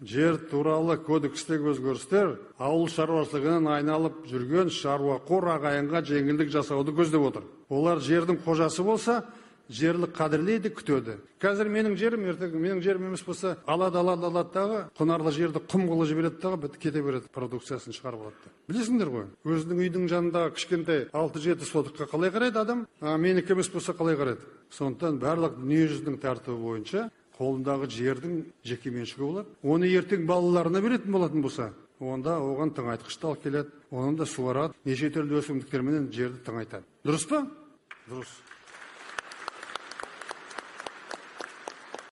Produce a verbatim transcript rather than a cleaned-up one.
жер тууралуу кодекстеги өзгөрүштөр ауыл шаруашылыгынан айналып жүргөн шаруакор агайынга жеңилдик жасауду көздөп отур. Олар жердин кожасы болса, жерлик кадирлейди, күтөдү. Қазір менің жерім, ертең менің жерім емес болса, алады, алады, алады дағы, құнарлы жерді құм қылып жібереді дағы, бітіп кете береді, продукциясын шығарып алады. Білесіңдер ғой, өзінің үйдің жанындағы кішкентай алты жеті сотыққа қалай қарайды адам, а менікі емес болса қалай қарайды. Сондықтан барлық дүниежүзінің тәртібі бойынша қолындағы жердің жеке меншігі болады. Оны ертең балаларына беретін болатын болса, онда оған тыңайтқыштал келеді, оны да суарады, неше түрлі өсімдіктерменен жерді тыңайтады. Дұрыс па? Дұрыс.